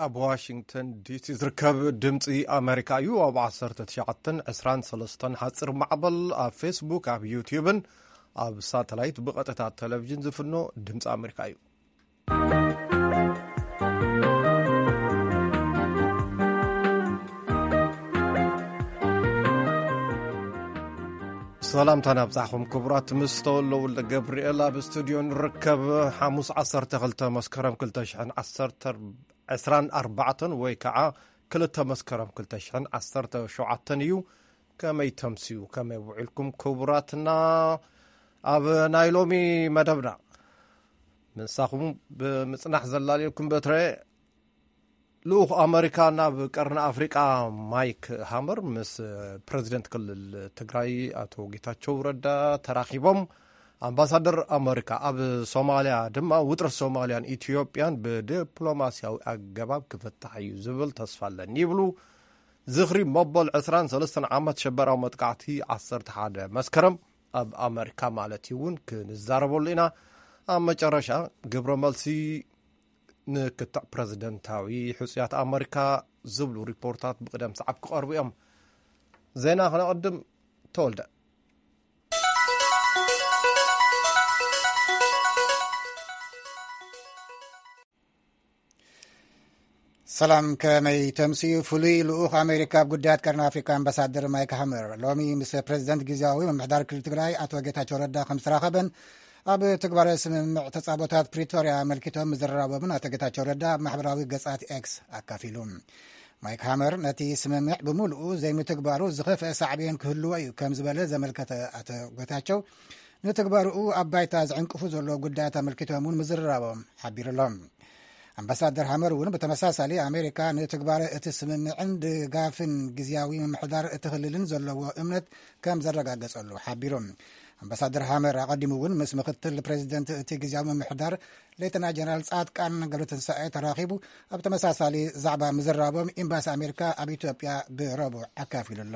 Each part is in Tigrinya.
ኣብ ዋሽንግተን ዲሲ ዝርከብ ድምፂ ኣሜሪካ እዩ። ኣብ ዓሰርተ ትሽዓተን ዕስራን ሰለስተን ሓፂር ማዕበል፣ ኣብ ፌስቡክ፣ ኣብ ዩትዩብን ኣብ ሳተላይት ብቐጥታ ቴሌቪዥን ዝፍኖ ድምፂ ኣሜሪካ እዩ። ሰላምታ ናብጻሕኹም ክቡራት፣ ምስ ተወልደ ወልደ ገብርኤል ኣብ ስቱድዮ ንርከብ። ሓሙስ ዓሰርተ ክልተ መስከረም ክልተ ሽሕን ዓሰርተ ዕስራን ኣርባዕተን ወይ ከዓ ክልተ መስከረም ክልተ ሽሕን ዓሰርተ ሸውዓተን እዩ። ከመይ ተምስዩ፣ ከመይ ውዒልኩም ክቡራትና? ኣብ ናይ ሎሚ መደብና ምሳኹም ብምጽናሕ ዘላልየልኩም በትረ ልኡኽ ኣመሪካ ናብ ቀርኒ ኣፍሪቃ ማይክ ሃመር ምስ ፕረዚደንት ክልል ትግራይ ኣቶ ጌታቸው ረዳ ተራኺቦም። ኣምባሳደር ኣመሪካ ኣብ ሶማልያ ድማ ውጥረት ሶማልያን ኢትዮጵያን ብዲፕሎማስያዊ ኣገባብ ክፍታሕ እዩ ዝብል ተስፋ ኣለኒ ይብሉ። ዝኽሪ መበል ዕስራን ሰለስተን ዓመት ሸበራዊ መጥቃዕቲ ዓሰርተ ሓደ መስከረም ኣብ ኣመሪካ ማለት እዩ እውን ክንዛረበሉ ኢና። ኣብ መጨረሻ ግብረ መልሲ ንክትዕ ፕረዚደንታዊ ሕጹያት ኣመሪካ ዝብሉ ሪፖርታት ብቕደም ሰዓብ ክቐርቡ እዮም። ዜና ክነቐድም። ተወልደ። ሰላም፣ ከመይ ተምስዩ? ፍሉይ ልኡኽ ኣሜሪካ ኣብ ጉዳያት ቀርኒ ኣፍሪካ ኣምባሳደር ማይክ ሃመር ሎሚ ምስ ፕረዚደንት ግዜያዊ ምምሕዳር ክልል ትግራይ ኣቶ ጌታቸው ረዳ ከም ዝተራኸበን ኣብ ትግባረ ስምምዕ ተጻቦታት ፕሪቶርያ ኣመልኪቶም ምዝርራቦምን ኣቶ ጌታቸው ረዳ ኣብ ማሕበራዊ ገጻት ኤክስ ኣካፊሉ። ማይክ ሃመር ነቲ ስምምዕ ብምሉኡ ዘይምትግባሩ ዝኸፍአ ሳዕቤን ክህልዎ እዩ ከም ዝበለ ዘመልከተ ኣቶ ጌታቸው፣ ንትግባርኡ ኣብ ባይታ ዝዕንቅፉ ዘለዉ ጉዳያት ኣመልኪቶም እውን ምዝርራቦም ሓቢሩ ኣሎ። ኣምባሳደር ሃመር እውን ብተመሳሳሊ ኣሜሪካ ንትግባረ እቲ ስምምዕን ድጋፍን ግዜያዊ ምምሕዳር እቲ ክልልን ዘለዎ እምነት ከም ዘረጋገጸሉ ሓቢሩ። ኣምባሳደር ሃመር ኣቐዲሙ እውን ምስ ምክትል ፕሬዚደንት እቲ ግዜያዊ ምምሕዳር ሌተና ጀነራል ጻድቃን ገብረትንሳኤ ተራኺቡ ኣብ ተመሳሳሊ ዛዕባ ምዝራቦም ኤምባሲ ኣሜሪካ ኣብ ኢትዮጵያ ብረቡዕ ኣካፊሉ ኣሎ።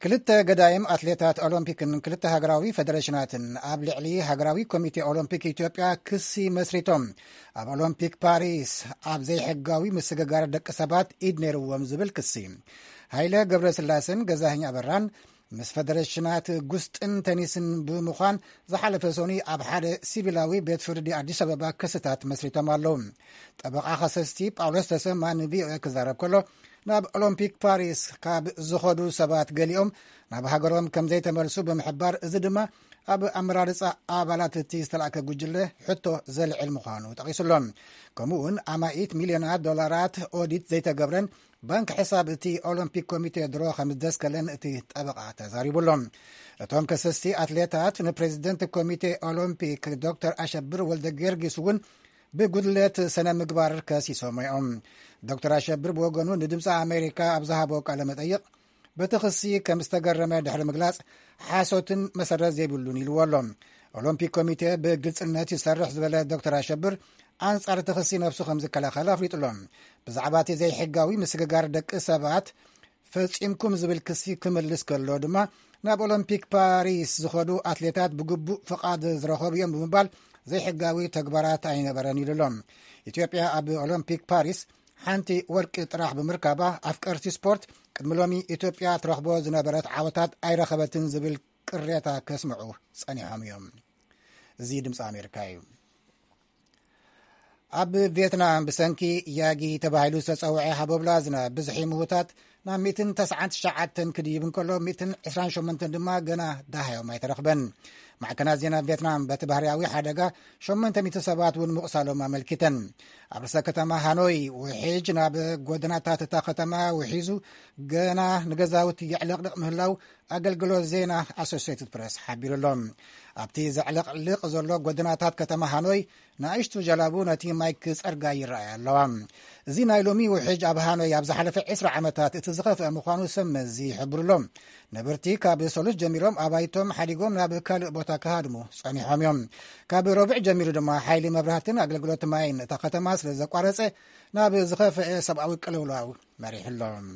ክልተ ገዳይም ኣትሌታት ኦሎምፒክን ክልተ ሃገራዊ ፌደሬሽናትን ኣብ ልዕሊ ሃገራዊ ኮሚቴ ኦሎምፒክ ኢትዮጵያ ክሲ መስሪቶም። ኣብ ኦሎምፒክ ፓሪስ ኣብ ዘይሕጋዊ ምስግጋር ደቂ ሰባት ኢድ ነይርዎም ዝብል ክሲ። ሃይለ ገብረስላሴን ገዛኸኝ ኣበራን ምስ ፌደሬሽናት ጉስጥን ተኒስን ብምዃን ዝሓለፈ ሰኑይ ኣብ ሓደ ሲቪላዊ ቤት ፍርዲ ኣዲስ ኣበባ ክስታት መስሪቶም ኣለዉ። ጠበቓ ከሰስቲ ጳውሎስ ተሰማ ንቪኦኤ ክዛረብ ከሎ፣ ናብ ኦሎምፒክ ፓሪስ ካብ ዝኸዱ ሰባት ገሊኦም ናብ ሃገሮም ከም ዘይተመልሱ ብምሕባር፣ እዚ ድማ ኣብ ኣመራርጻ ኣባላት እቲ ዝተላእከ ጉጅለ ሕቶ ዘልዕል ምዃኑ ጠቒሱ ኣሎ። ከምኡ እውን ኣማኢት ሚልዮናት ዶላራት ኦዲት ዘይተገብረን ባንክ ሕሳብ እቲ ኦሎምፒክ ኮሚቴ ድሮ ከም ዝደስከለን እቲ ጠበቓ ተዛሪቡ ኣሎ። እቶም ከሰስቲ ኣትሌታት ንፕሬዚደንት ኮሚቴ ኦሎምፒክ ዶክተር ኣሸብር ወልደ ጊዮርጊስ እውን ብጉድለት ስነ ምግባር ከሲሶም እዮም። ዶክተር ኣሸብር ብወገኑ ንድምፂ ኣሜሪካ ኣብ ዝሃቦ ቃለ መጠይቕ፣ በቲ ክሲ ከም ዝተገረመ ድሕሪ ምግላፅ፣ ሓሶትን መሰረት ዘይብሉን ኢልዎ ኣሎ። ኦሎምፒክ ኮሚቴ ብግልፅነት ይሰርሕ ዝበለ ዶክተር ኣሸብር፣ ኣንጻር እቲ ክሲ ነብሱ ከም ዝከላኸል ኣፍሊጡ ኣሎ። ብዛዕባ እቲ ዘይሕጋዊ ምስግጋር ደቂ ሰባት ፈጺምኩም ዝብል ክሲ ክምልስ ከሎ ድማ፣ ናብ ኦሎምፒክ ፓሪስ ዝኸዱ ኣትሌታት ብግቡእ ፍቓድ ዝረኸቡ እዮም ብምባል ዘይሕጋዊ ተግባራት ኣይነበረን ኢሉ ኣሎ። ኢትዮጵያ ኣብ ኦሎምፒክ ፓሪስ ሓንቲ ወርቂ ጥራሕ ብምርካባ፣ ኣፍቀርቲ ስፖርት ቅድሚ ሎሚ ኢትዮጵያ ትረኽቦ ዝነበረት ዓወታት ኣይረኸበትን ዝብል ቅሬታ ከስምዑ ጸኒሖም እዮም። እዚ ድምፂ ኣሜሪካ እዩ። ኣብ ቪየትናም ብሰንኪ ያጊ ተባሂሉ ዝተጸውዐ ሃቦብላ ዝናብ ብዝሒ ምዉታት ናብ ሚእትን ተስዓን ትሽዓተን ክድይብ እንከሎ፣ ሚእትን ዕስራን ሸሞንተን ድማ ገና ደሃዮም ኣይተረኽበን። ማዕከናት ዜና ቪየትናም በቲ ባህርያዊ ሓደጋ ሸሞንተ ሚእቲ ሰባት እውን ምቑሳሎም ኣመልኪተን። ኣብ ርእሰ ከተማ ሃኖይ ውሒጅ ናብ ጎደናታት እታ ከተማ ውሒዙ ገና ንገዛውቲ የዕለቕልቕ ምህላው ኣገልግሎት ዜና ኣሶሲየትድ ፕረስ ሓቢሩ ኣሎ። ኣብቲ ዘዕለቕልቕ ዘሎ ጎደናታት ከተማ ሃኖይ ንኣሽቱ ጀላቡ ነቲ ማይ ክጸርጋ ይረኣያ ኣለዋ። እዚ ናይ ሎሚ ውሕጅ ኣብ ሃኖይ ኣብ ዝሓለፈ ዕስራ ዓመታት እቲ ዝኸፍአ ምዃኑ ሰብ መዚ ይሕብሩ ኣሎ። ነበርቲ ካብ ሰሉስ ጀሚሮም ኣባይቶም ሓዲጎም ናብ ካልእ ቦታ ክሃድሙ ጸኒሖም እዮም። ካብ ረቡዕ ጀሚሩ ድማ ሓይሊ መብራህትን ኣገልግሎት ማይን እታ ከተማ ስለ ዘቋረጸ ናብ ዝኸፍአ ሰብኣዊ ቅልውላው መሪሑ ኣሎ።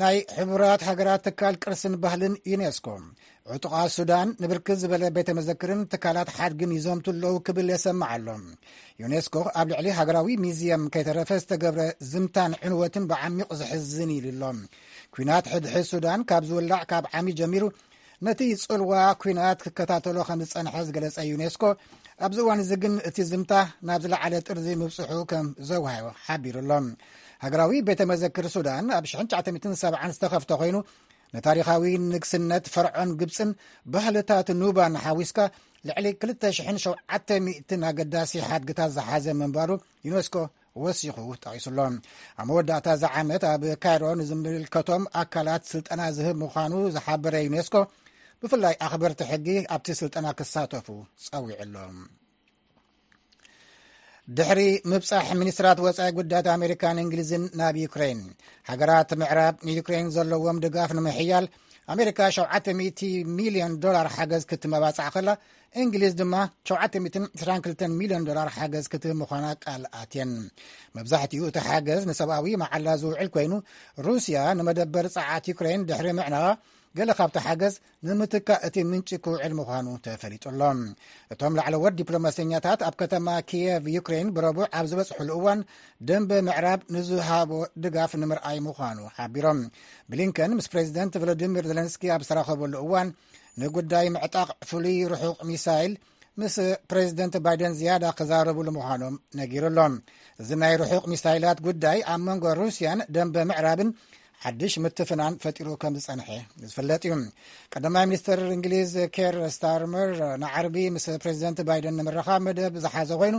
ናይ ሕቡራት ሃገራት ትካል ቅርስን ባህልን ዩኔስኮ፣ ዕጡቓት ሱዳን ንብርክት ዝበለ ቤተ መዘክርን ትካላት ሓድግን ይዘምቱ ኣለዉ ክብል የሰምዕ ኣሎ። ዩኔስኮ ኣብ ልዕሊ ሃገራዊ ሚዝየም ከይተረፈ ዝተገብረ ዝምታን ዕንወትን ብዓሚቕ ዘሕዝን ኢሉ ኣሎ። ኲናት ሕድሕድ ሱዳን ካብ ዝውላዕ ካብ ዓሚ ጀሚሩ ነቲ ጽልዋ ኲናት ክከታተሎ ከም ዝጸንሐ ዝገለጸ ዩኔስኮ፣ ኣብዚ እዋን እዚ ግን እቲ ዝምታ ናብ ዝለዓለ ጥርዚ ምብጽሑ ከም ዘውሃዮ ሓቢሩ ኣሎ። ሃገራዊ ቤተ መዘክር ሱዳን ኣብ ሽሕን ትሽዓተ ሚእትን ሰብዓን ዝተኸፍተ ኮይኑ፣ ንታሪኻዊ ንግስነት ፈርዖን ግብጽን ባህልታት ኑባን ሓዊስካ ልዕሊ ክልተ ሽሕን ሸውዓተ ሚእትን ኣገዳሲ ሓድግታት ዝሓዘ ምንባሩ ዩኔስኮ ወሲኹ ጠቒሱሎ። ኣብ መወዳእታ እዚ ዓመት ኣብ ካይሮ ንዝምልከቶም ኣካላት ስልጠና ዝህብ ምዃኑ ዝሓበረ ዩኔስኮ፣ ብፍላይ ኣኽበርቲ ሕጊ ኣብቲ ስልጠና ክሳተፉ ጸዊዑ ኣሎ። ድሕሪ ምብጻሕ ሚኒስትራት ወጻኢ ጉዳያት ኣሜሪካን እንግሊዝን ናብ ዩክሬን፣ ሃገራት ምዕራብ ንዩክሬን ዘለዎም ድጋፍ ንምሕያል ኣሜሪካ ሸውዓተ ሚእቲ ሚልዮን ዶላር ሓገዝ ክትመባጻዕ ከላ፣ እንግሊዝ ድማ ሸውዓተ ሚእትን ዕስራን ክልተን ሚልዮን ዶላር ሓገዝ ክትህብ ምዃና ቃል ኣትየን። መብዛሕትኡ እቲ ሓገዝ ንሰብኣዊ መዓላ ዝውዕል ኮይኑ፣ ሩስያ ንመደበር ጸዓት ዩክሬን ድሕሪ ምዕናዋ፣ ገለ ካብቲ ሓገዝ ንምትካእ እቲ ምንጪ ክውዕል ምዃኑ ተፈሊጡ ኣሎ። እቶም ላዕለዎት ዲፕሎማሰኛታት ኣብ ከተማ ኪየቭ ዩክሬን ብረቡዕ ኣብ ዝበጽሕሉ እዋን፣ ደንበ ምዕራብ ንዝሃቦ ድጋፍ ንምርኣይ ምዃኑ ሓቢሮም። ብሊንከን ምስ ፕሬዚደንት ቮሎዲሚር ዜለንስኪ ኣብ ዝተራኸበሉ እዋን፣ ንጉዳይ ምዕጣቕ ፍሉይ ርሑቕ ሚሳይል ምስ ፕሬዚደንት ባይደን ዝያዳ ክዛረብሉ ምዃኖም ነጊሩ ኣሎ። እዚ ናይ ርሑቕ ሚሳይላት ጉዳይ ኣብ መንጎ ሩስያን ደንበ ምዕራብን ሓድሽ ምትፍናን ፈጢሩ ከም ዝጸንሐ ዝፍለጥ እዩ። ቀዳማይ ሚኒስትር እንግሊዝ ኬር ስታርመር ንዓርቢ ምስ ፕሬዚደንት ባይደን ንምርኻብ መደብ ዝሓዘ ኮይኑ፣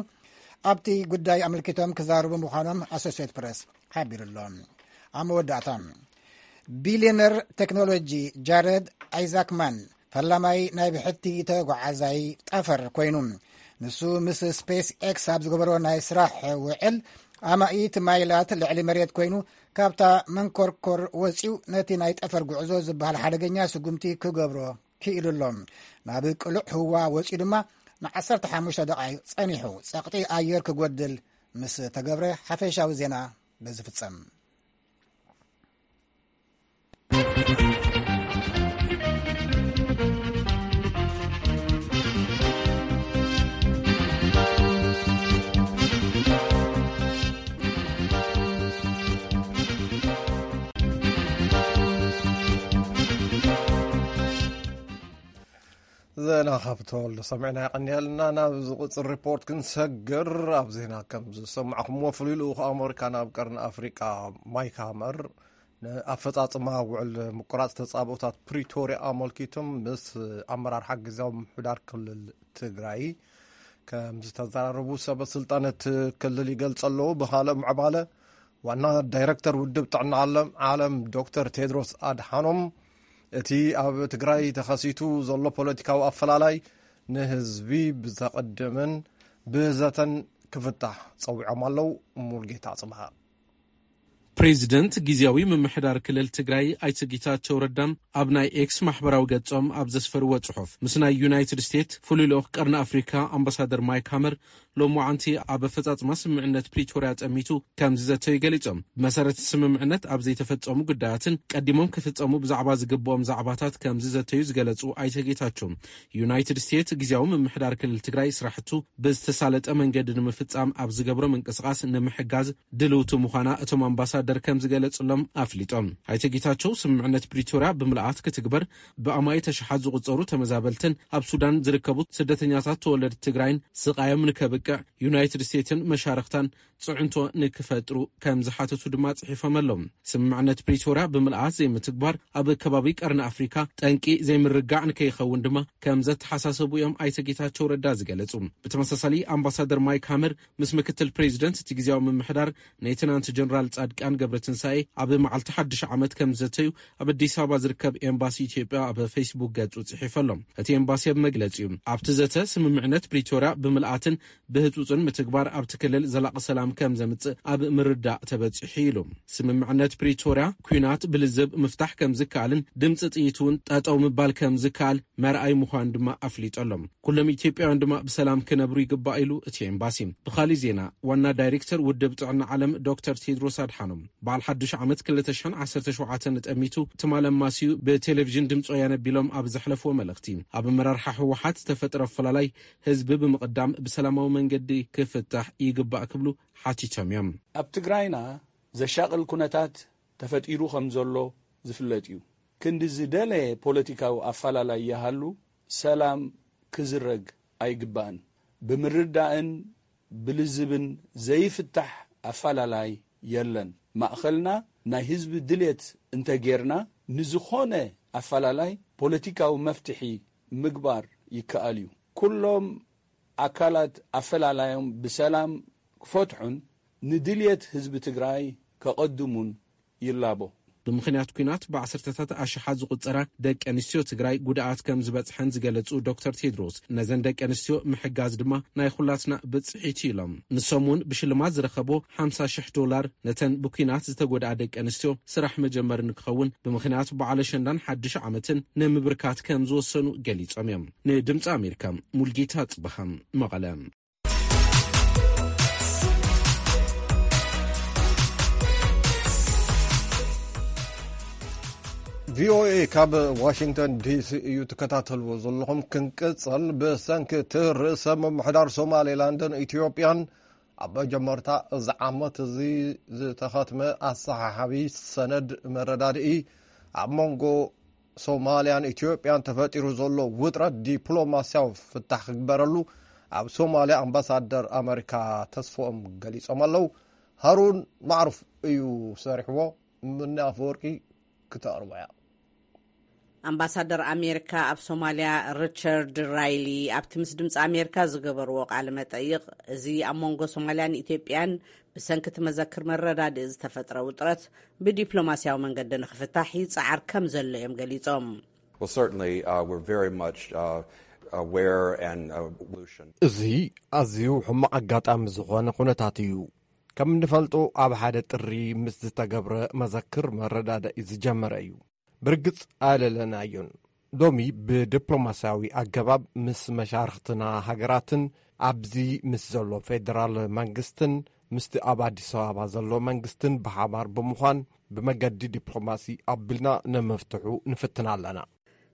ኣብቲ ጉዳይ ኣመልኪቶም ክዛረቡ ምዃኖም ኣሶሲየት ፕረስ ሓቢሩ ኣሎ። ኣብ መወዳእታ፣ ቢልዮነር ቴክኖሎጂ ጃረድ ኣይዛክማን ፈላማይ ናይ ብሕቲ ተጓዓዛይ ጠፈር ኮይኑ፣ ንሱ ምስ ስፔስ ኤክስ ኣብ ዝገበሮ ናይ ስራሕ ውዕል፣ ኣማኢት ማይላት ልዕሊ መሬት ኮይኑ፣ ካብታ መንኮርኮር ወጺኡ ነቲ ናይ ጠፈር ጉዕዞ ዝበሃል ሓደገኛ ስጉምቲ ክገብሮ ክኢሉ ኣሎ። ናብ ቅሉዕ ህዋ ወጺኡ ድማ ንዓሰርተ ሓሙሽተ ደቓይቕ ጸኒሑ ጸቕጢ ኣየር ክጎድል ምስ ተገብረ፣ ሓፈሻዊ ዜና በዚ ፍጸም። ዜና ካብ ተወልዶ ሰሚዕና የቐንየልና። ናብ ዝቕጽል ሪፖርት ክንሰግር፣ ኣብ ዜና ከም ዝሰማዕኩምዎ፣ ፍሉይ ልኡኽ ኣመሪካ ናብ ቀርኒ ኣፍሪቃ ማይክ ሃመር ንኣፈጻጽማ ውዕል ምቁራጽ ተጻብኦታት ፕሪቶርያ ኣመልኪቶም ምስ ኣመራርሓ ግዝያዊ ምምሕዳር ክልል ትግራይ ከም ዝተዘራረቡ ሰበ ስልጣን እቲ ክልል ይገልጸ ኣለዉ። ብኻልእ ምዕባለ፣ ዋና ዳይረክተር ውድብ ጥዕና ዓለም፣ ዓለም ዶክተር ቴድሮስ ኣድሓኖም፣ እቲ ኣብ ትግራይ ተኸሲቱ ዘሎ ፖለቲካዊ ኣፈላላይ ንህዝቢ ብዘቐድምን ብዘተን ክፍታሕ ጸዊዖም ኣለዉ። ሙልጌታ ጽብሃ። ፕሬዚደንት ግዝያዊ ምምሕዳር ክልል ትግራይ ኣይተ ጌታቸው ረዳ ኣብ ናይ ኤክስ ማሕበራዊ ገጾም ኣብ ዘስፈርዎ ጽሑፍ፣ ምስ ናይ ዩናይትድ ስቴትስ ፍሉይ ልኡኽ ቀርኒ ኣፍሪካ ኣምባሳደር ማይክ ሃመር ሎማዓንቲ ኣብ ኣፈጻጽማ ስምምዕነት ፕሪቶርያ ጠሚቱ ከም ዝዘተዩ ገሊጾም። ብመሰረት ስምምዕነት ኣብ ዘይተፈጸሙ ጉዳያትን ቀዲሞም ክፍጸሙ ብዛዕባ ዝግብኦም ዛዕባታት ከም ዝዘተዩ ዝገለጹ ኣይተ ጌታቸው፣ ዩናይትድ ስቴትስ ግዝያዊ ምምሕዳር ክልል ትግራይ ስራሕቱ ብዝተሳለጠ መንገዲ ንምፍጻም ኣብ ዝገብሮ ምንቅስቓስ ንምሕጋዝ ድልውቲ ምዃና እቶም ኣምባሳደር ከም ዝገለጹሎም ኣፍሊጦም። ኣይተ ጌታቸው፣ ስምምዕነት ፕሪቶርያ ብምልኣት ክትግበር፣ ብኣማኢት ኣሽሓት ዝቑጸሩ ተመዛበልትን ኣብ ሱዳን ዝርከቡ ስደተኛታት ተወለድቲ ትግራይን ስቓዮም ንከብቅዕ ዩናይትድ ስቴትስን መሻርኽታን ጽዕንቶ ንክፈጥሩ ከም ዝሓተቱ ድማ ጽሒፎም ኣለዉ። ስምምዕነት ፕሪቶርያ ብምልኣት ዘይምትግባር ኣብ ከባቢ ቀርኒ ኣፍሪካ ጠንቂ ዘይምርጋዕ ንከይኸውን ድማ ከም ዘተሓሳሰቡ እዮም ኣይተ ጌታቸው ረዳ ዝገለጹ። ብተመሳሳሊ፣ ኣምባሳደር ማይክ ሃመር ምስ ምክትል ፕሬዚደንት እቲ ግዝያዊ ምምሕዳር ሌተናንት ጀነራል ጻድቃን ገብረትንሳኤ ኣብ መዓልቲ ሓድሽ ዓመት ከም ዝዘተዩ ኣብ ኣዲስ ኣበባ ዝርከብ ኤምባሲ ኢትዮጵያ ኣብ ፌስቡክ ገጹ ጽሒፉ ኣሎ። እቲ ኤምባሲ ኣብ መግለጺኡ፣ ኣብቲ ዘተ ስምምዕነት ፕሪቶርያ ብምልኣትን ብህጹጽን ምትግባር ኣብቲ ክልል ዘላቒ ሰላም ከም ዘምጽእ ኣብ ምርዳእ ተበጺሑ ኢሉ። ስምምዕነት ፕሪቶርያ፣ ኲናት ብልዝብ ምፍታሕ ከም ዝከኣልን ድምጺ ጥይት እውን ጠጠው ምባል ከም ዝከኣል መርኣይ ምዃኑ ድማ ኣፍሊጡ ኣሎ። ኩሎም ኢትዮጵያውያን ድማ ብሰላም ክነብሩ ይግባእ ኢሉ እቲ ኤምባሲ። ብኻሊእ ዜና፣ ዋና ዳይሬክተር ውድብ ጥዕና ዓለም ዶክተር ቴድሮስ ኣድሓኖም፣ በዓል ሓዱሽ ዓመት ክልተ ሽሕን ዓሰርተ ሸውዓተን ጠሚቱ ትማል ኣማስዩ ብቴሌቪዥን ድምፂ ወያነ ኣቢሎም ኣብ ዘሕለፍዎ መልእኽቲ፣ ኣብ ኣመራርሓ ህወሓት ዝተፈጥረ ኣፈላላይ ህዝቢ ብምቕዳም ብሰላማዊ መንገዲ ክፍታሕ ይግባእ ክብሉ ሓቲቶም እዮም። ኣብ ትግራይና ዘሻቕል ኩነታት ተፈጢሩ ከም ዘሎ ዝፍለጥ እዩ። ክንዲ ዝደለየ ፖለቲካዊ ኣፈላላይ ይሃሉ፣ ሰላም ክዝረግ ኣይግባእን። ብምርዳእን ብልዝብን ዘይፍታሕ ኣፈላላይ የለን። ማእኸልና ናይ ህዝቢ ድሌት እንተጌርና፣ ንዝኾነ ኣፈላላይ ፖለቲካዊ መፍትሒ ምግባር ይከኣል እዩ። ኩሎም ኣካላት ኣፈላላዮም ብሰላም ክፈትሑን ንድልየት ህዝቢ ትግራይ ከቐድሙን ይላቦ። ብምኽንያት ኲናት ብዓሰርተታት ኣሽሓት ዝቑጸራ ደቂ ኣንስትዮ ትግራይ ጉድኣት ከም ዝበጽሐን ዝገለጹ ዶክተር ቴድሮስ፣ ነዘን ደቂ ኣንስትዮ ምሕጋዝ ድማ ናይ ኩላትና ብጽሒት እዩ ኢሎም። ንሶም እውን ብሽልማት ዝረኸቦ ሓምሳ ሽሕ ዶላር ነተን ብኲናት ዝተጎድኣ ደቂ ኣንስትዮ ስራሕ መጀመሪ ንክኸውን ብምኽንያት በዓል ኣሸንዳን ሓድሽ ዓመትን ንምብርካት ከም ዝወሰኑ ገሊጾም እዮም። ንድምፂ ኣሜሪካ ሙልጌታ ጽበሃ፣ መቐለ። ቪኦኤ ካብ ዋሽንግተን ዲሲ እዩ ትከታተልዎ ዘለኹም። ክንቅጽል፣ ብሰንኪ እቲ ርእሰ ምምሕዳር ሶማሌላንድን ኢትዮጵያን ኣብ መጀመርታ እዚ ዓመት እዚ ዝተኸትመ ኣሰሓሓቢ ሰነድ መረዳድኢ፣ ኣብ መንጎ ሶማልያን ኢትዮጵያን ተፈጢሩ ዘሎ ውጥረት ዲፕሎማስያዊ ፍታሕ ክግበረሉ ኣብ ሶማልያ ኣምባሳደር ኣመሪካ ተስፎኦም ገሊጾም ኣለዉ። ሃሩን ማዕሩፍ እዩ ሰሪሕዎ። ምኒ ኣፈወርቂ ክተቕርቦ እያ። ኣምባሳደር ኣሜሪካ ኣብ ሶማልያ ሪቻርድ ራይሊ ኣብቲ ምስ ድምፂ ኣሜሪካ ዝገበርዎ ቃለ መጠይቕ፣ እዚ ኣብ መንጎ ሶማልያን ኢትዮጵያን ብሰንኪ እቲ መዘክር መረዳድኢ ዝተፈጥረ ውጥረት ብዲፕሎማስያዊ መንገዲ ንኽፍታሕ ይፀዓር ከም ዘሎ እዮም ገሊፆም። Well, certainly, uh, we're very much, uh, aware and, uh, solution. እዚ ኣዝዩ ሕማቕ ኣጋጣሚ ዝኾነ ኩነታት እዩ። ከም እንፈልጦ፣ ኣብ ሓደ ጥሪ ምስ ዝተገብረ መዘክር መረዳድኢ ዝጀመረ እዩ። ብርግጽ ኣለለናዮን። ሎሚ ብዲፕሎማስያዊ ኣገባብ ምስ መሻርኽትና ሃገራትን ኣብዚ ምስ ዘሎ ፌደራል መንግስትን ምስቲ ኣብ ኣዲስ ኣበባ ዘሎ መንግስትን ብሓባር ብምዃን ብመገዲ ዲፕሎማሲ ኣቢልና ንምፍትሑ ንፍትን ኣለና።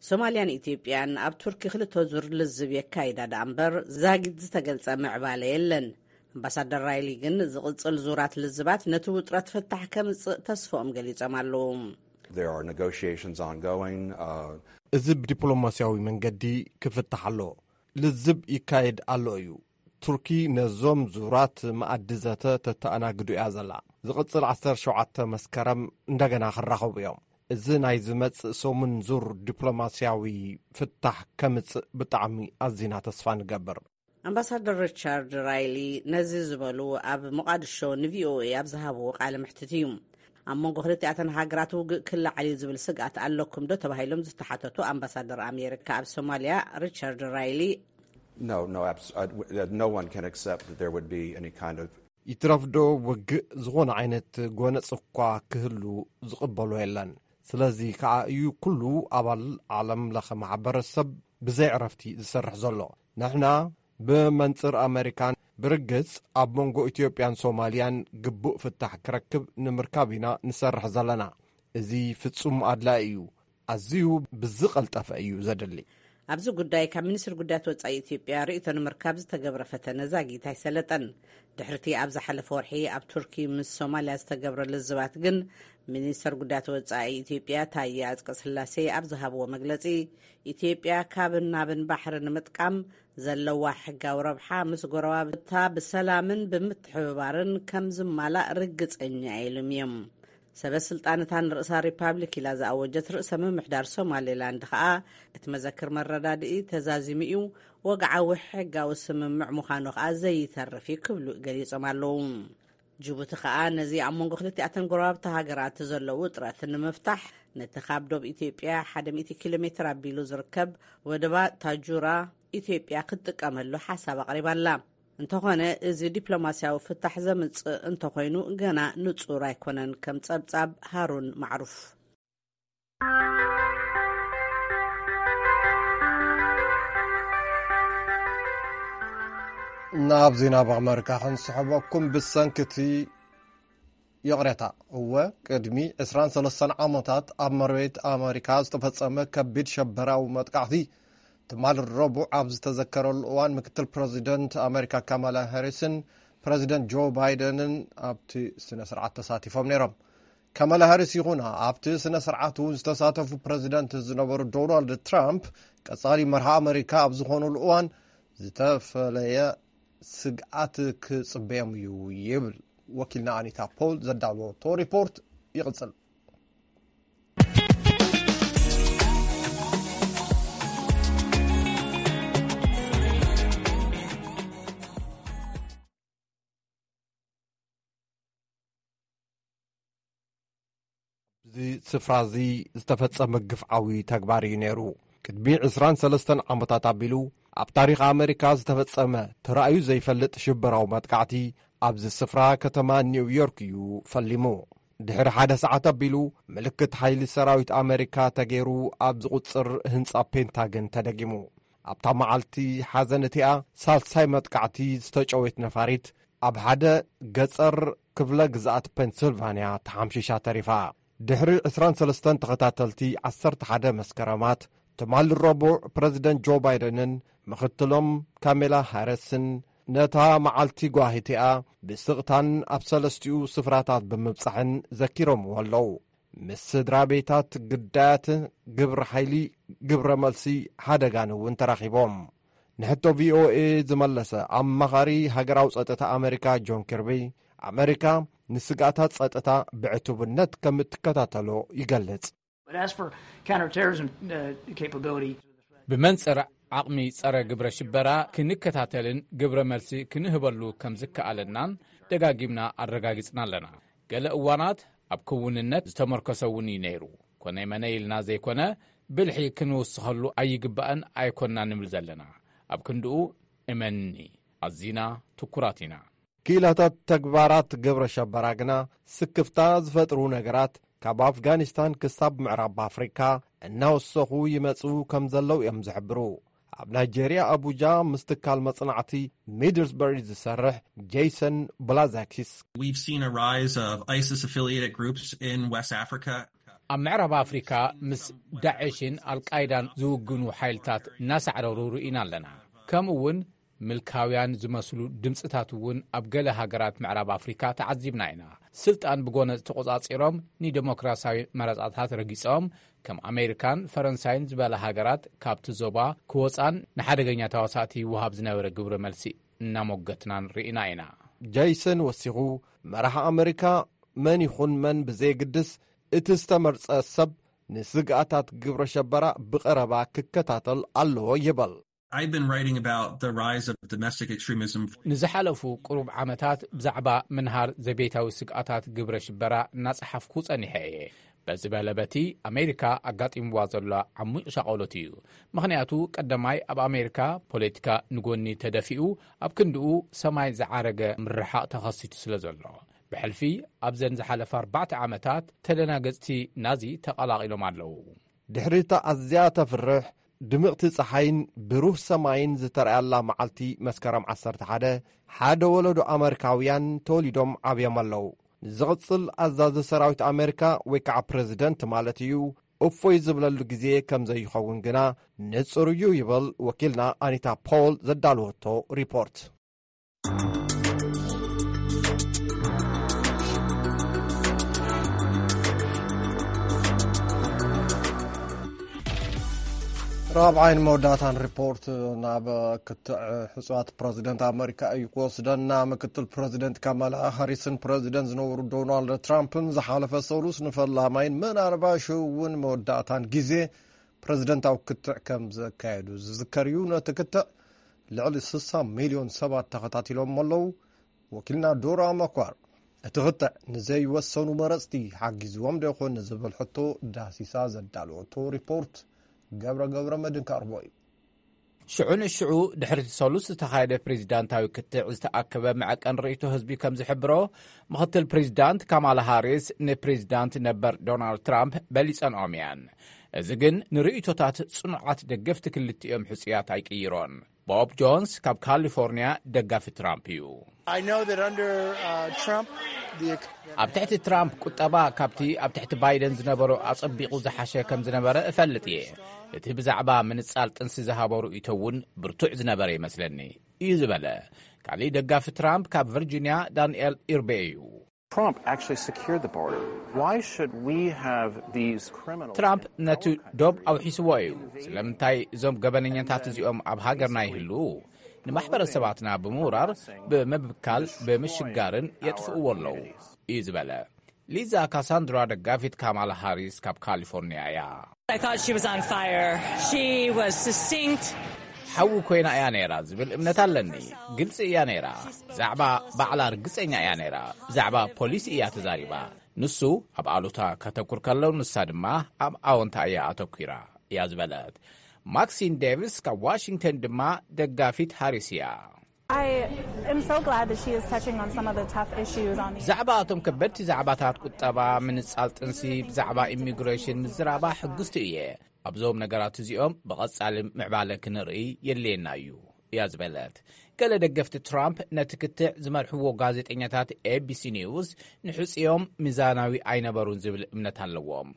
ሶማልያን ኢትዮጵያን ኣብ ቱርኪ ክልተ ዙር ልዝብ የካይዳ ደኣ እምበር ዛጊት ዝተገልጸ ምዕባለ የለን። ኣምባሳደር ራይሊ ግን ዝቕጽል ዙራት ልዝባት ነቲ ውጥረት ፍታሕ ከምጽእ ተስፍኦም ገሊጾም ኣለዉ። There are negotiations ongoing, uh, እዚ ብዲፕሎማስያዊ መንገዲ ክፍታሕ ኣሎ። ልዝብ ይካየድ ኣሎ እዩ። ቱርኪ ነዞም ዙራት መኣዲ ዘተ ተተኣናግዱ እያ ዘላ። ዝቕጽል ዓሰርተ ሸውዓተ መስከረም እንደገና ክራኸቡ እዮም። እዚ ናይ ዝመጽእ ሰሙን ዙር ዲፕሎማስያዊ ፍታሕ ከምጽእ ብጣዕሚ ኣዚና ተስፋ ንገብር። ኣምባሳደር ሪቻርድ ራይሊ ነዚ ዝበሉ ኣብ ሞቓድሾ ንቪኦኤ ኣብ ዝሃብዎ ቃለ መሕትት እዩ። ኣብ መንጎ ክልቲኣተን ሃገራት ውግእ ክለዓል እዩ ዝብል ስግኣት ኣለኩም ዶ ተባሂሎም ዝተሓተቱ ኣምባሳደር ኣሜሪካ ኣብ ሶማልያ ሪቻርድ ራይሊ፣ No, no, abs-, uh, w-, uh, no one can accept that there would be any kind of ይትረፍዶ ውግእ ዝኾነ ዓይነት ጎነጽ እኳ ክህሉ ዝቕበሎ የለን። ስለዚ ከኣ እዩ ኩሉ ኣባል ዓለም ለኸ ማሕበረሰብ ብዘይ ዕረፍቲ ዝሰርሕ ዘሎ። ንሕና ብመንጽር ኣመሪካን ብርግጽ ኣብ መንጎ ኢትዮጵያን ሶማልያን ግቡእ ፍታሕ ክረክብ ንምርካብ ኢና ንሰርሕ ዘለና። እዚ ፍጹም ኣድላዪ እዩ። ኣዝዩ ብዝቐልጠፈ እዩ ዘድሊ። ኣብዚ ጉዳይ ካብ ሚኒስትሪ ጉዳያት ወጻኢ ኢትዮጵያ ርእይቶ ንምርካብ ዝተገብረ ፈተነ ዛጊት ኣይሰለጠን። ድሕርቲ ኣብ ዝሓለፈ ወርሒ ኣብ ቱርኪ ምስ ሶማልያ ዝተገብረ ልዝባት ግን፣ ሚኒስተር ጉዳያት ወጻኢ ኢትዮጵያ ታየ ኣጽቀ ስላሴ ኣብ ዝሃብዎ መግለጺ፣ ኢትዮጵያ ካብን ናብን ባሕሪ ንምጥቃም ዘለዋ ሕጋዊ ረብሓ ምስ ጎረባብታ ብሰላምን ብምትሕብባርን ከም ዝማላእ ርግጸኛ ኢሉም እዮም። ሰበ ስልጣን እታ ንርእሳ ሪፓብሊክ ኢላ ዝኣወጀት ርእሰ ምምሕዳር ሶማሌላንድ ከኣ፣ እቲ መዘክር መረዳድኢ ተዛዚሙ እዩ፣ ወግዓዊ ሕጋዊ ስምምዕ ምዃኑ ከኣ ዘይተርፍ እዩ ክብሉ ገሊጾም ኣለዉ። ጅቡቲ ከኣ ነዚ ኣብ መንጎ ክልቲኣተን ጎረባብቲ ሃገራት ዘሎ ውጥረት ንምፍታሕ፣ ነቲ ካብ ዶብ ኢትዮጵያ ሓደ ሚእቲ ኪሎ ሜትር ኣቢሉ ዝርከብ ወደባ ታጁራ ኢትዮጵያ ክትጥቀመሉ ሓሳብ ኣቕሪባ ኣላ። እንተኾነ፣ እዚ ዲፕሎማስያዊ ፍታሕ ዘምጽእ እንተኾይኑ፣ ገና ንጹር ኣይኮነን። ከም ጸብጻብ ሃሩን ማዕሩፍ። ናብ ዜና ኣመሪካ ክንስሕበኩም። ብሰንኪ እቲ ይቕሬታ፣ እወ፣ ቅድሚ ዕስራን ሰለስተን ዓመታት ኣብ መሬት ኣመሪካ ዝተፈጸመ ከቢድ ሸበራዊ መጥቃዕቲ፣ ትማሊ ረቡዕ ኣብ ዝተዘከረሉ እዋን፣ ምክትል ፕረዚደንት ኣመሪካ ካማላ ሃሪስን ፕረዚደንት ጆ ባይደንን ኣብቲ ስነ ስርዓት ተሳቲፎም ነይሮም። ካማላ ሃሪስ ይኹና፣ ኣብቲ ስነ ስርዓት እውን ዝተሳተፉ ፕረዚደንት ዝነበሩ ዶናልድ ትራምፕ፣ ቀጻሊ መርሃ ኣመሪካ ኣብ ዝኾኑሉ እዋን ዝተፈለየ ስግኣት ክጽበዮም እዩ ይብል። ወኪልና ኣኒታ ፖል ዘዳለወቶ ሪፖርት ይቕጽል። እዚ ስፍራ እዚ ዝተፈጸመ ግፍዓዊ ተግባር እዩ ነይሩ። ቅድሚ ዕስራን ሰለስተን ዓመታት ኣቢሉ ኣብ ታሪኽ ኣመሪካ ዝተፈጸመ ተራእዩ ዘይፈልጥ ሽበራዊ መጥቃዕቲ ኣብዚ ስፍራ ከተማ ኒውዮርክ እዩ ፈሊሙ። ድሕሪ ሓደ ሰዓት ኣቢሉ ምልክት ሓይሊ ሰራዊት ኣመሪካ ተገይሩ ኣብ ዝቑጽር ህንጻ ፔንታገን ተደጊሙ። ኣብታ መዓልቲ ሓዘን እቲኣ ሳልሳይ መጥቃዕቲ ዝተጨወየት ነፋሪት ኣብ ሓደ ገጸር ክፍለ ግዝኣት ፔንስልቫንያ ተሓምሺሻ ተሪፋ። ድሕሪ ዕስራን ሰለስተን ተኸታተልቲ ዓሰርተ ሓደ መስከረማት፣ ትማሊ ረቡዕ ፕረዚደንት ጆ ባይደንን ምኽትሎም ካሜላ ሃሪስን ነታ መዓልቲ ጓሂ እቲኣ ብስቕታን ኣብ ሰለስቲኡ ስፍራታት ብምብጻሕን ዘኪሮምዎ ኣለዉ። ምስ ስድራ ቤታት ግዳያት ግብሪ ሓይሊ፣ ግብረ መልሲ ሓደጋን እውን ተራኺቦም። ንሕቶ ቪኦኤ ዝመለሰ ኣማኻሪ ሃገራዊ ጸጥታ ኣመሪካ ጆን ኪርቢ፣ ኣመሪካ ንስግኣታት ጸጥታ ብዕቱብነት ከም እትከታተሎ ይገልጽ። But as for counterterrorism uh, capability, ብመንጽር ዓቕሚ ጸረ ግብረ ሽበራ ክንከታተልን ግብረ መልሲ ክንህበሉ ከም ዝከኣለናን ደጋጊምና ኣረጋጊጽና ኣለና። ገለ እዋናት ኣብ ክውንነት ዝተመርኮሰ እውን እዩ ነይሩ። ኮነይ መነይ ኢልና ዘይኮነ፣ ብልሒ ክንውስኸሉ ኣይግባእን ኣይኮንና ንብል ዘለና። ኣብ ክንድኡ እመንኒ፣ ኣዚና ትኩራት ኢና። ክኢላታት ተግባራት ግብረ ሸበራ ግና ስክፍታ ዝፈጥሩ ነገራት ካብ ኣፍጋኒስታን ክሳብ ምዕራብ ኣፍሪካ እናወሰኹ ይመጹ ከም ዘለዉ እዮም ዝሕብሩ። ኣብ ናይጄርያ ኣቡጃ ምስ ትካል መጽናዕቲ ሚድልስበሪ ዝሰርሕ ጄሰን ብላዛኪስ፣ We've seen a rise of ISIS affiliated groups in West Africa. ኣብ ምዕራብ ኣፍሪካ ምስ ዳዕሽን ኣልቃይዳን ዝውግኑ ሓይልታት እናሳዕረሩ ርኢና ኣለና። ከምኡ እውን ምልካውያን ዝመስሉ ድምፅታት እውን ኣብ ገለ ሃገራት ምዕራብ ኣፍሪካ ተዓዚብና ኢና። ስልጣን ብጎነፅ ተቆፃፂሮም ንደሞክራሲያዊ መረፃታት ረጊፆም፣ ከም ኣሜሪካን ፈረንሳይን ዝበላ ሃገራት ካብቲ ዞባ ክወፃን ንሓደገኛ ተዋሳእቲ ይወሃብ ዝነበረ ግብረ መልሲ እናሞገትናን ርኢና ኢና። ጄሰን ወሲኹ፣ መራሕ ኣመሪካ መን ይኹን መን ብዘየግድስ፣ እቲ ዝተመርጸ ሰብ ንስግኣታት ግብረ ሸበራ ብቐረባ ክከታተል ኣለዎ ይብል። I've been writing about the rise of domestic extremism. ንዝሓለፉ ቅሩብ ዓመታት ብዛዕባ ምንሃር ዘቤታዊ ስግኣታት ግብረ ሽበራ እናጸሓፍኩ ጸኒሐ እየ። በዚ በለ በቲ ኣሜሪካ ኣጋጢምዋ ዘሎ ዓሙቕ ሻቐሎት እዩ። ምኽንያቱ ቀዳማይ ኣብ ኣሜሪካ ፖለቲካ ንጎኒ ተደፊኡ፣ ኣብ ክንድኡ ሰማይ ዝዓረገ ምርሓቕ ተኸሲቱ ስለ ዘሎ። ብሕልፊ ኣብዘን ዝሓለፋ ኣርባዕተ ዓመታት ተደናገጽቲ ናዚ ተቐላቒሎም ኣለዉ። ድሕሪ እታ ኣዝያ ተፍርሕ ድምቕቲ ጸሓይን ብሩህ ሰማይን ዝተራእያላ መዓልቲ መስከረም ዓሰርተ ሓደ፣ ሓደ ወለዶ ኣመሪካውያን ተወሊዶም ዓብዮም ኣለዉ። ንዝቕጽል ኣዛዚ ሰራዊት ኣመሪካ ወይ ከዓ ፕረዚደንት ማለት እዩ፣ እፎይ ዝብለሉ ግዜ ከም ዘይኸውን ግና ንጹር እዩ ይብል ወኪልና ኣኒታ ፖል ዘዳለወቶ ሪፖርት። ራብዓይን መወዳእታን ሪፖርት ናብ ክትዕ ሕጹዋት ፕረዚደንት ኣመሪካ እዩ ክወስደና። ምክትል ፕረዚደንት ካማላ ሃሪስን ፕረዚደንት ዝነበሩ ዶናልድ ትራምፕን ዝሓለፈ ሰሉስ ንፈላማይን ምናልባሽ እውን መወዳእታን ግዜ ፕረዚደንታዊ ክትዕ ከም ዘካየዱ ዝዝከር እዩ። ነቲ ክትዕ ልዕሊ ስሳ ሚልዮን ሰባት ተኸታቲሎም ኣለዉ። ወኪልና ዶራ መኳር፣ እቲ ክትዕ ንዘይወሰኑ መረጽቲ ሓጊዝዎም ዶ ይኾን ንዝብል ሕቶ ዳሲሳ ዘዳለወቶ ሪፖርት ገብረ ገብረ መድህን ከቕርቦ እዩ። ሽዑ ንሽዑ ድሕሪ እቲ ሰሉስ ዝተኻየደ ፕሬዚዳንታዊ ክትዕ ዝተኣከበ መዐቀን ርእይቶ ህዝቢ ከም ዝሕብሮ፣ ምኽትል ፕሬዚዳንት ካማላ ሃሪስ ንፕሬዚዳንት ነበር ዶናልድ ትራምፕ በሊጸንኦም እየን። እዚ ግን ንርእይቶታት ጽኑዓት ደገፍቲ ክልቲኦም ሕጹያት ኣይቅይሮን። ቦብ ጆንስ ካብ ካሊፎርኒያ ደጋፊ ትራምፕ እዩ። I know that under uh, Trump, the ኣብ ትሕቲ ትራምፕ ቁጠባ ካብቲ ኣብ ትሕቲ ባይደን ዝነበሮ ኣጸቢቑ ዝሓሸ ከም ዝነበረ እፈልጥ እየ። እቲ ብዛዕባ ምንጻል ጥንሲ ዝሃቦ ርእይቶ እውን ብርቱዕ ዝነበረ ይመስለኒ እዩ ዝበለ ካሊእ ደጋፊ ትራምፕ ካብ ቨርጂንያ ዳንኤል ኢርቤ እዩ። Trump actually secured the border. Why should we have these criminals? ትራምፕ ነቲ ዶብ ኣውሒስዎ እዩ። ስለምንታይ እዞም ገበነኛታት እዚኦም ኣብ ሃገርና ይህልዉ? ንማሕበረሰባትና ብምውራር፣ ብምብካል፣ ብምሽጋርን የጥፍእዎ ኣለዉ እዩ ዝበለ። ሊዛ ካሳንድራ ደጋፊት ካማላ ሃሪስ ካብ ካሊፎርኒያ እያ። I thought she was on fire. She was succinct. ሓዊ ኮይና እያ ነይራ ዝብል እምነት ኣለኒ። ግልፂ እያ ነይራ። ብዛዕባ ባዕላ ርግፀኛ እያ ነይራ። ብዛዕባ ፖሊሲ እያ ተዛሪባ። ንሱ ኣብ ኣሉታ ከተኩር ከሎ፣ ንሳ ድማ ኣብ ኣወንታ እያ ኣተኲራ እያ ዝበለት። ማክሲን ዴቪስ ካብ ዋሽንግተን ድማ ደጋፊት ሃሪስ እያ። I am so glad that she is touching on some of the tough issues on the ብዛዕባ እቶም ከበድቲ ዛዕባታት ቁጠባ፣ ምንጻል ጥንሲ፣ ብዛዕባ ኢሚግሬሽን ምዝራባ ሕጉስቲ እየ። ኣብዞም ነገራት እዚኦም ብቐጻሊ ምዕባለ ክንርኢ የድልየና እዩ እያ ዝበለት። ገለ ደገፍቲ ትራምፕ ነቲ ክትዕ ዝመርሕዎ ጋዜጠኛታት ኤቢሲ ኒውስ ንሕጽዮም ሚዛናዊ ኣይነበሩን ዝብል እምነት ኣለዎም።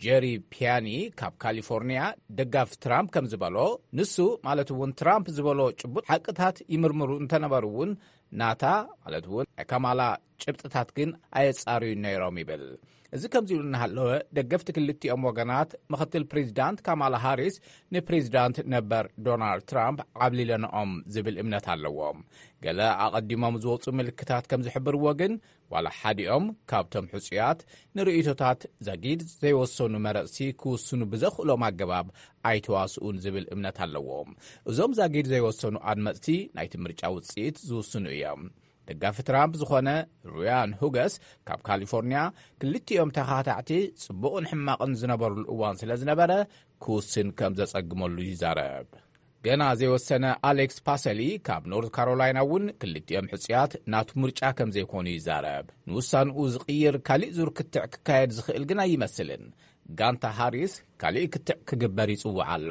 ጀሪ ፒያኒ ካብ ካሊፎርኒያ ደጋፊ ትራምፕ ከም ዝበሎ፣ ንሱ ማለት እውን ትራምፕ ዝበሎ ጭቡጥ ሓቅታት ይምርምሩ እንተነበሩ እውን ናታ ማለት እውን ናይ ካማላ ጭብጥታት ግን ኣየጻርዩን ነይሮም ይብል። እዚ ከምዚ ኢሉ እናሃለወ፣ ደገፍቲ ክልቲኦም ወገናት ምኽትል ፕሬዚዳንት ካማላ ሃሪስ ንፕሬዚዳንት ነበር ዶናልድ ትራምፕ ዓብሊለንኦም ዝብል እምነት ኣለዎም። ገለ ኣቐዲሞም ዝወፁ ምልክታት ከም ዝሕብርዎ ግን፣ ዋላ ሓዲኦም ካብቶም ሕጹያት ንርእይቶታት ዛጊድ ዘይወሰኑ መረጽቲ ክውስኑ ብዘኽእሎም ኣገባብ ኣይተዋስኡን ዝብል እምነት ኣለዎም። እዞም ዛጊድ ዘይወሰኑ ኣድመጽቲ ናይቲ ምርጫ ውጽኢት ዝውስኑ እዮም። ደጋፊ ትራምፕ ዝኾነ ሩያን ሁገስ ካብ ካሊፎርኒያ፣ ክልቲኦም ተኻታዕቲ ጽቡቕን ሕማቕን ዝነበሩሉ እዋን ስለ ዝነበረ፣ ክውስን ከም ዘጸግመሉ ይዛረብ። ገና ዘይወሰነ ኣሌክስ ፓሰሊ ካብ ኖርት ካሮላይና እውን ክልቲኦም ሕጹያት ናቱ ምርጫ ከም ዘይኮኑ ይዛረብ። ንውሳንኡ ዝቕይር ካሊእ ዙር ክትዕ ክካየድ ዝኽእል ግን ኣይመስልን። ጋንታ ሃሪስ ካሊእ ክትዕ ክግበር ይጽውዕ ኣሎ።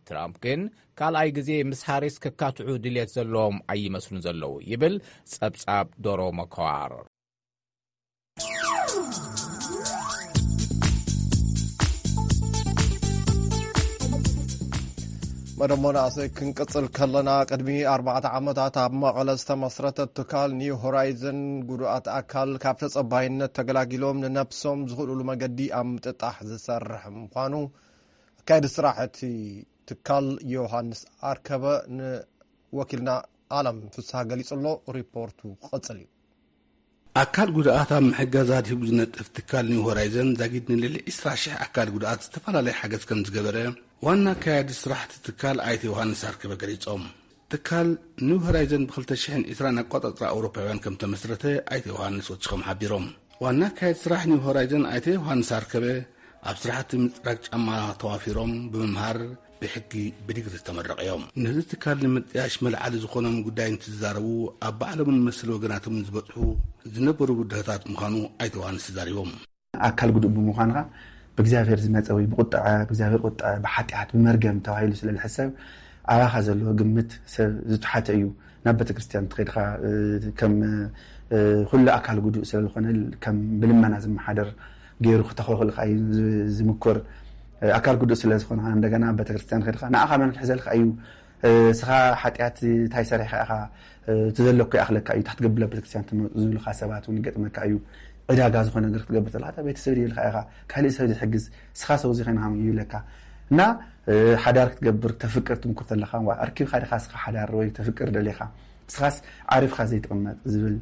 ትራምፕ ግን ካልኣይ ግዜ ምስ ሃሪስ ክካትዑ ድልየት ዘለዎም ኣይመስሉን ዘለዉ ይብል ጸብጻብ ዶሮ መከዋር። መደሞ ንኣሰይ ክንቅጽል ከለና፣ ቅድሚ ኣርባዕተ ዓመታት ኣብ መቐለ ዝተመስረተ ትካል ኒው ሆራይዘን፣ ጉዱኣት ኣካል ካብ ተጸባይነት ተገላጊሎም ንነብሶም ዝኽእሉሉ መገዲ ኣብ ምጥጣሕ ዝሰርሕ ምዃኑ ኣካየዲ ስራሕ እቲ ትካል ዮሃንስ ኣርከበ ንወኪልና ኣለም ፍስሃ ገሊጹ ኣሎ። ሪፖርቱ ክቕጽል እዩ። ኣካል ጉድኣት ኣብ ምሕጋዝ ኣድሂቡ ዝነጥፍ ትካል ኒው ሆራይዘን፣ ዛጊድ ንልዕሊ ዕስራ ሽሕ ኣካል ጉድኣት ዝተፈላለየ ሓገዝ ከም ዝገበረ ዋና ኣካያዲ ስራሕ እቲ ትካል ኣይተ ዮሃንስ ኣርከበ ገሊጾም። ትካል ኒው ሆራይዘን ብ ክልተ ሽሕን ዕስራን ኣቆጻጽራ ኣውሮፓውያን ከም ተመስረተ ኣይተ ዮሃንስ ወሲኾም ሓቢሮም። ዋና ኣካያዲ ስራሕ ኒው ሆራይዘን ኣይተ ዮሃንስ ኣርከበ፣ ኣብ ስራሕቲ ምጽራግ ጫማ ተዋፊሮም ብምምሃር ብሕጊ ብዲግሪ ዝተመረቑ እዮም። ነዚ ትካል ንምጥያሽ መልዓሊ ዝኾኖም ጉዳይ እንትዛረቡ፣ ኣብ ባዕሎምን መሰል ወገናቶምን ዝበጽሑ ዝነበሩ ብድሆታት ምዃኑ ኣይተ ዮሃንስ ተዛሪቦም። ኣካል ጉዱእ ብምዃንካ ብእግዚኣብሔር ዝመጸ ወይ ብቁጥዐ ብእግዚኣብሔር ቁጥዐ ብሓጢኣት ብመርገም ተባሂሉ ስለ ዝሕሰብ ኣባኻ ዘለዎ ግምት ሰብ ዝተሓተ እዩ። ናብ ቤተክርስትያን ትኸድካ ከም ኩሉ ኣካል ጉዱእ ስለ ዝኾነ ከም ብልመና ዝመሓደር ገይሩ ክተኸልክልካ እዩ ዝምኩር። ኣካል ጉዱእ ስለ ዝኾንካ እንደገና ኣብ ቤተክርስትያን ከድካ ንኣኻ መን ክሕዘልካ እዩ? ስኻ ሓጢኣት እንታይ ሰሪሕካ ኢኻ? እቲ ዘለኩ ይኣኽለካ እዩ፣ እንታይ ክትገብር ኣብ ቤተክርስትያን ትመፁ ዝብልካ ሰባት እውን ይገጥመካ እዩ። ዕዳጋ ዝኾነ ነገር ክትገብር ተለካ እታ ቤተሰብ ድየልካ ኢኻ፣ ካሊእ ሰብ ዝሕግዝ ስኻ ሰው ዚኸንካ ይብለካ እና ሓዳር ክትገብር ተፍቅር ትምኩር ተለካ ኣርኪብካ ዲኻ ስኻ ሓዳር ወይ ተፍቅር ደሊኻ ስኻስ ዓሪፍካ ዘይትቕመጥ ዝብል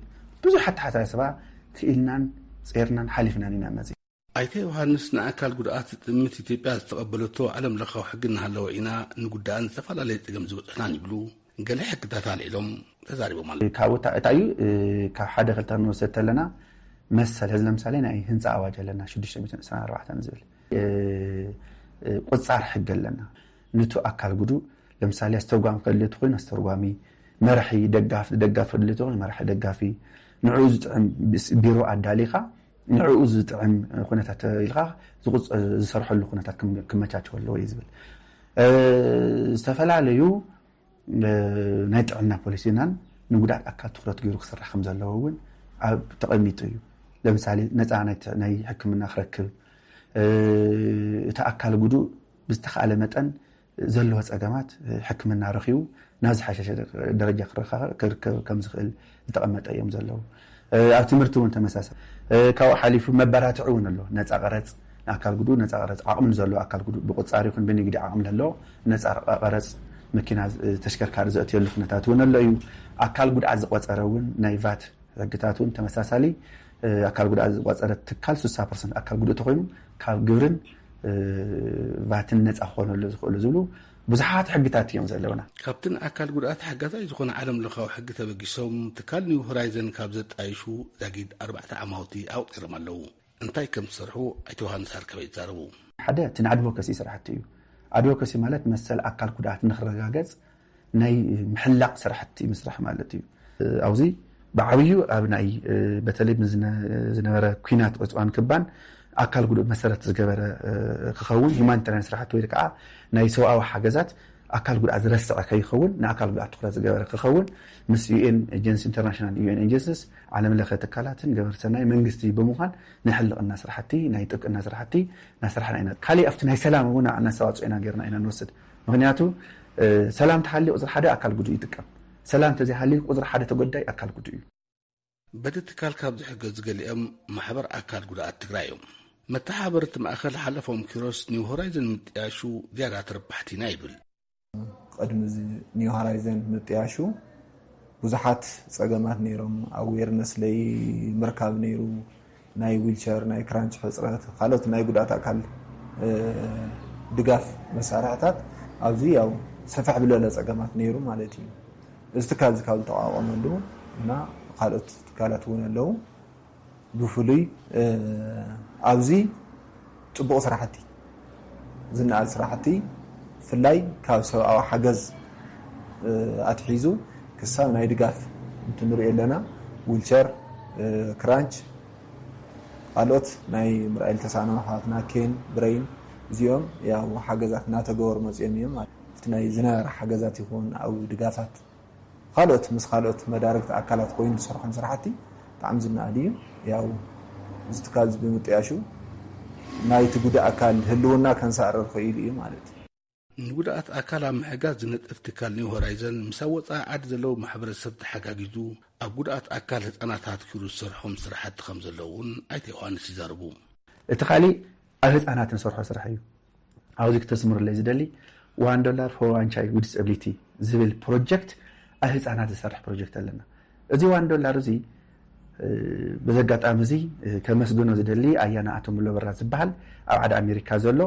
ብዙሕ ኣተሓሳስባ ክኢልናን ጼርናን ሓሊፍናን ኢና መፂ ኣይተ ዮሃንስ ንኣካል ጉድኣት ጥምት ኢትዮጵያ ዝተቐበለቶ ዓለም ለኻዊ ሕጊ እናሃለወ ኢና ንጉዳእን ዝተፈላለየ ጸገም ዝበጽሕናን ይብሉ። ገለ ሕግታት ኣልዒሎም ተዛሪቦም ኣለዉ። ካብኡ እታ- እታ እዩ ካብ ሓደ ክልተ ንወሰድ ተለና መሰል ህዚ ለምሳሌ ናይ ህንፃ ኣዋጅ ኣለና ሽዱሽተ ሚእትን ዕስራን ኣርባዕተን ዝብል እ፣ እ፣ ቁፃር ሕጊ ኣለና። ንቱ ኣካል ጉዱ ለምሳሌ ኣስተርጓሚ ከድልየቱ ኮይኑ ኣስተርጓሚ መራሒ ደጋፍ ደጋፍ ከድልየቱ ኮይኑ መራሒ ደጋፊ ንዕኡ ዝጥዕም ቢሮ ኣዳሊኻ ንዕኡ ዝጥዕም ኩነታት ኢልካ ዝሰርሐሉ ኩነታት ክመቻቸው ኣለዎ እዩ ዝብል። ዝተፈላለዩ ናይ ጥዕና ፖሊሲናን ንጉዳት ኣካል ትኩረት ገይሩ ክስራሕ ከም ዘለዎ እውን ኣብ ተቐሚጡ እዩ። ለምሳሌ ነፃ ናይ ሕክምና ክረክብ፣ እቲ ኣካል ጉዱእ ብዝተኻእለ መጠን ዘለዎ ፀገማት ሕክምና ረኺቡ ናብ ዝሓሸሸ ደረጃ ክረካ- ክርከብ ከም ዝኽእል ዝተቐመጠ እዮም ዘለዉ። ኣብ ትምህርቲ እውን ተመሳሳሊ። ካብኡ ሓሊፉ መበራትዒ እውን ኣሎ። ነፃ ቀረፅ ንኣካል ጉዱእ፣ ነፃ ቀረፅ ዓቕሚ ንዘለዎ ኣካል ጉዱእ ብቁፃር ይኹን ብንግዲ ዓቕሚ ለለዎ ነፃ ቀረፅ መኪና ተሽከርካሪ ዘእትየሉ ኩነታት እውን ኣሎ እዩ። ኣካል ጉድኣት ዝቆፀረ እውን ናይ ቫት ሕግታት እውን ተመሳሳሊ። ኣካል ጉድኣት ዝቆፀረ ትካል ስሳ ፐርሰንት ኣካል ጉዱእ ተኮይኑ ካብ ግብርን ቫትን ነፃ ክኾነሉ ዝኽእሉ ዝብሉ ብዙሓት ሕግታት እዮም ዘለውና። ካብቲ ንኣካል ጉድኣት ሓጋዛይ ዝኾነ ዓለም ለኻዊ ሕጊ ተበጊሶም ትካል ኒው ሆራይዘን ካብ ዘጣይሹ ዛጊድ ኣርባዕተ ዓማውቲ ኣውፂሮም ኣለዉ። እንታይ ከም ዝሰርሑ ኣይተ ዮሃንስ ኣርከበ ይዛረቡ። ሓደ እቲ ንኣድቮካሲ ስራሕቲ እዩ። ኣድቮካሲ ማለት መሰል ኣካል ጉድኣት ንክረጋገፅ ናይ ምሕላቕ ስራሕቲ ምስራሕ ማለት እዩ። ኣብዚ ብዓብዩ ኣብ ናይ በተለይ ዝነበረ ኩናት ዕፅዋን ክባን ኣካል ጉዱእ መሰረት ዝገበረ ክኸውን፣ ሂማኒታርያን ስራሕቲ ወይ ከዓ ናይ ሰብኣዊ ሓገዛት ኣካል ጉድኣት ዝረስዐ ከይኸውን፣ ንኣካል ጉድኣት ትኩረት ዝገበረ ክኸውን፣ ምስ ዩኤን ኤጀንሲ፣ ኢንተርናሽናል ዩኤን ኤጀንሲስ፣ ዓለም ለኸ ትካላትን ገበርቲ ሰናይ መንግስቲ ብምዃን ናይ ሕልቕና ስራሕቲ፣ ናይ ጥብቅና ስራሕቲ እናሰራሕና ኢና። ካሊእ ኣብቲ ናይ ሰላም እውን ኣስተዋፅኦ ኢና ጌርና ኢና ንወስድ። ምክንያቱ ሰላም ተሃልዩ ቁፅሪ ሓደ ኣካል ጉዱእ ይጥቀም። ሰላም ተዘይሃልዩ ቁፅሪ ሓደ ተጎዳይ ኣካል ጉዱእ እዩ። በቲ ትካል ካብ ዝሕገዙ ገሊኦም ማሕበር ኣካል ጉድኣት ትግራይ እዮም። መተሓባበርቲ ማእኸል ሓለፎም ኪሮስ ኒው ሆራይዘን ምጥያሹ ዝያዳ ተረባሕቲ ኢና ይብል። ቅድሚ እዚ ኒው ሆራይዘን ምጥያሹ ብዙሓት ፀገማት ነይሮም። ኣዌርነስ ለይ ምርካብ ነይሩ፣ ናይ ዊልቸር፣ ናይ ክራንች ሕፅረት፣ ካልኦት ናይ ጉድኣት ኣካል ድጋፍ መሳርሕታት ኣብዚ ያው ሰፍሕ ብለለ ፀገማት ነይሩ ማለት እዩ። እዚ ትካል እዚ ካብ ዝተቋቋመሉ እና ካልኦት ትካላት እውን ኣለዉ። ብፍሉይ ኣብዚ ፅቡቕ ስራሕቲ፣ ዝነኣድ ስራሕቲ፣ ብፍላይ ካብ ሰብኣዊ ሓገዝ ኣትሒዙ ክሳብ ናይ ድጋፍ እንትንሪኦ ኣለና። ዊልቸር፣ ክራንች፣ ካልኦት ናይ ምርኣይ ዝተሳእኖም ኣሕዋትና፣ ኬን፣ ብረይን፣ እዚኦም ያው ሓገዛት እናተገበሩ መፂኦም እዮም። ኣብቲ ናይ ዝነበረ ሓገዛት ይኹን ኣብ ድጋፋት ካልኦት ምስ ካልኦት መዳርግቲ ኣካላት ኮይኑ ዝሰርሖም ስራሕቲ ብጣዕሚ ዝነኣድ እዩ። ያው እዚ ትካል እዚ ብምጥያሹ ናይቲ ጉዳእ ኣካል ህልውና ከንሳእረር ክኢሉ እዩ ማለት እዩ። ንጉድኣት ኣካል ኣብ ምሕጋዝ ዝነጥፍ ትካል ኒው ሆራይዘን ምስ ኣብ ወፃኢ ዓዲ ዘለዉ ማሕበረሰብ ተሓጋጊዙ ኣብ ጉድኣት ኣካል ህፃናት ኣትኪሩ ዝሰርሖም ስራሕቲ ከም ዘለዉ እውን ኣይተ ዮሃንስ ይዛረቡ። እቲ ካሊእ ኣብ ህፃናት ንሰርሖ ስራሕ እዩ። ኣብዚ ክተስምሩለይ ዝደሊ ዋን ዶላር ፎር ዋን ቻይልድ ዊዝ ዲስብሊቲ ዝብል ፕሮጀክት ኣብ ህፃናት ዝሰርሕ ፕሮጀክት ኣለና። እዚ ዋን ዶላር እዚ በዚ ኣጋጣሚ እዚ ከመስግኖ ዝደሊ ኣያና ኣቶ ሙሎ በራ ዝበሃል ኣብ ዓዲ ኣሜሪካ ዘሎ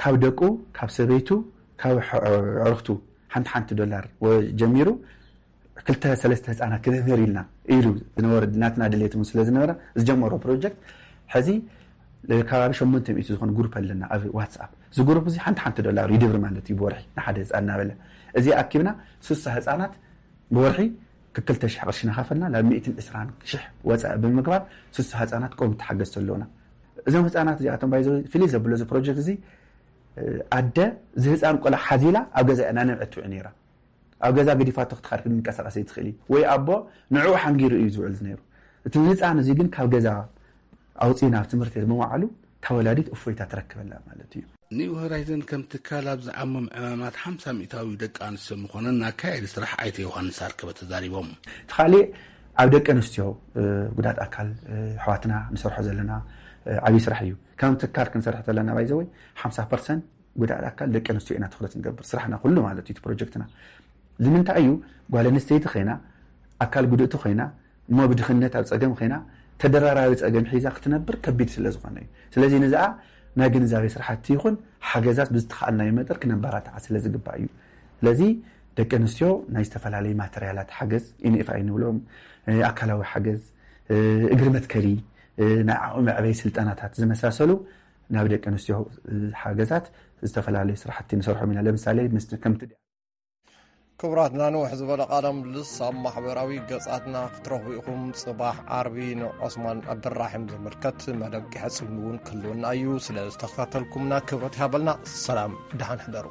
ካብ ደቁ ካብ ሰበይቱ ካብ ኣዕርክቱ ሓንቲ ሓንቲ ዶላር ጀሚሩ ክልተ ሰለስተ ህፃናት ክነምህር ኢልና ኢሉ ዝነበረ ናትና ድሌት እውን ስለ ዝነበረ ዝጀመሮ ፕሮጀክት ሕዚ ከባቢ ሸሞንተ ሚእቲ ዝኾነ ግሩፕ ኣለና ኣብ ዋትስኣፕ። እዚ ግሩፕ እዚ ሓንቲ ሓንቲ ዶላር ይድብር ማለት እዩ ብወርሒ ንሓደ ህፃን እናበለ እዚ ኣኪብና ስሳ ህፃናት ብወርሒ ክልተ ሽሕ ቅርሺ እናኸፈልና ናብ ሚእትን ዕስራን ሽሕ ወፃኢ ብምግባር ስሳ ህፃናት ቆም ተሓገዝቲ ኣለውና። እዞም ህፃናት እዚኣቶም ባይዘ ፍልይ ዘብሎ እዚ ፕሮጀክት እዚ ኣደ ዝህፃን ቆልዓ ሓዚላ ኣብ ገዛ እናነብዐት ትውዕ ነይራ። ኣብ ገዛ ገዲፋቶ ክትኻድ ክንቀሳቀስ ይትኽእል እዩ ወይ ኣቦ ንዕኡ ሓንጊሩ እዩ ዝውዕል ነይሩ። እቲ ህፃን እዚ ግን ካብ ገዛ ኣውፅኡ ናብ ትምህርቲ ቤት ምውዓሉ ተወላዲት እፎይታ ትረክበላ ማለት እዩ። ኒው ሆራይዘን ከም ትካል ኣብ ዝዓሞም ዕማማት ሓምሳ ሚእታዊ ደቂ ኣንስትዮ ምዃነን ኣካያዲ ስራሕ ኣይተ ዮሃንስ ኣርከበ ተዛሪቦም። እቲ ካሊእ ኣብ ደቂ ኣንስትዮ ጉዳት ኣካል ኣሕዋትና ንሰርሖ ዘለና ዓብዪ ስራሕ እዩ። ከም ትካል ክንሰርሕ ዘለና ባይዘወይ ሓምሳ ፐርሰንት ጉዳት ኣካል ደቂ ኣንስትዮ ኢና ትኩረት ንገብር ስራሕና ኩሉ ማለት እዩ ፕሮጀክትና። ንምንታይ እዩ ጓል ኣንስተይቲ ኮይና ኣካል ጉድእቲ ኮይና እሞ ብድኽነት ኣብ ፀገም ኮይና ተደራራቢ ፀገም ሒዛ ክትነብር ከቢድ ስለ ዝኾነ እዩ። ስለዚ ንዝኣ ናይ ግንዛቤ ስራሕቲ ይኹን ሓገዛት ብዝተኻእልናዮ መጠር ክነበራትዓ ስለ ዝግባእ እዩ። ስለዚ ደቂ ኣንስትዮ ናይ ዝተፈላለዩ ማተርያላት ሓገዝ ኢንኤፍኣይ ንብሎም ኣካላዊ ሓገዝ እግሪ መትከሊ ናይ ዓቕሚ መዕበይ ስልጠናታት ዝመሳሰሉ ናብ ደቂ ኣንስትዮ ሓገዛት ዝተፈላለዩ ስራሕቲ ንሰርሖም ኢና። ለምሳሌ ከምቲ ክቡራትና፣ ንውሕ ዝበለ ቃለ ምልልስ ኣብ ማሕበራዊ ገጻትና ክትረኽቡ ኢኹም። ጽባሕ ዓርቢ ንዑስማን ዓብደራሒም ዝምልከት መደብ ክሕጽብ እውን ክህልወና እዩ። ስለ ዝተኸታተልኩምና ክብረት ይሃበልና። ሰላም፣ ደሓን ሕደሩ።